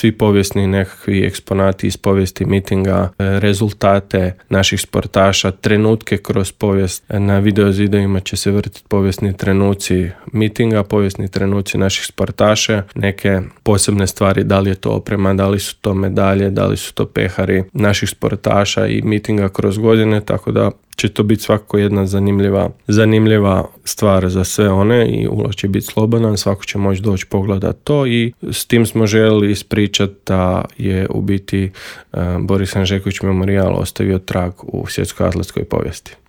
svi povijesni nekakvi eksponati iz povijesti mitinga, rezultate naših sportaša, trenutke kroz povijest. Na videozidovima će se vrtiti povijesni trenuci mitinga, povijesni trenuci naših sportaša, neke posebne stvari, da li je to oprema, da li su to medalje, da li su to pehari naših sportaša i mitinga kroz godine, tako da će to biti svakako jedna zanimljiva stvar za sve one i ulaz će biti slobodan, svako će moći doći pogledati to i s tim smo željeli ispričati da je u biti Boris Hanžeković memorijal ostavio trag u svjetskoj atletskoj povijesti.